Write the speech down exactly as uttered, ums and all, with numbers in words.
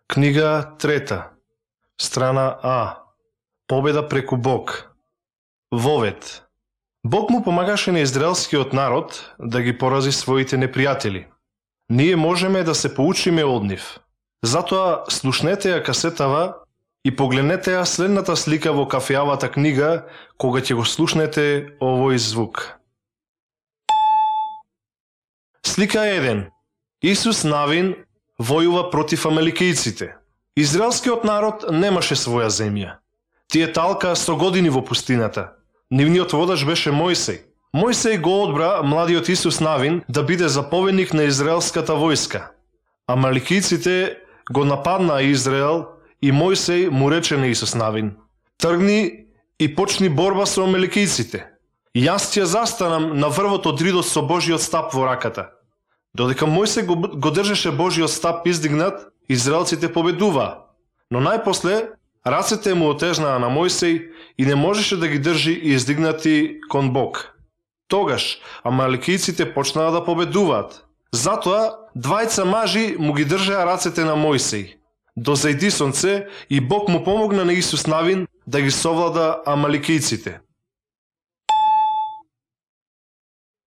Книга трета, страна А. Победа преку Бог. Вовет. Бог му помагаше на израелскиот народ да ги порази своите непријатели. Ние можеме да се поучиме од нив. Затоа слушнете ја касетава и погледнете ја следната слика во кафеавата книга кога ќе го слушнете овој звук. Слика еден. Исус Навин војува против амаликејците. Израелскиот народ немаше своја земја. Тие талка сто години во пустината. Нивниот водач беше Мојсей. Мојсей го одбра младиот Исус Навин да биде заповедник на израелската војска. Амаликејците го нападнаа Израел и Мојсей му рече на Исус Навин: тргни и почни борба со амаликејците. Јас ќе застанам на врвот од ридот со Божиот стап во раката. Додека Мојсей го, го држеше Божиот стап издигнат, израелците победуваа. Но најпосле рацете му отежнаа на Мојсей и не можеше да ги држи издигнати кон Бог. Тогаш амаликејците почнаа да победуваат. Затоа двајца мажи му ги држеа рацете на Мојсей. Дозајди сонце и Бог му помогна на Исус Навин да ги совлада амаликејците.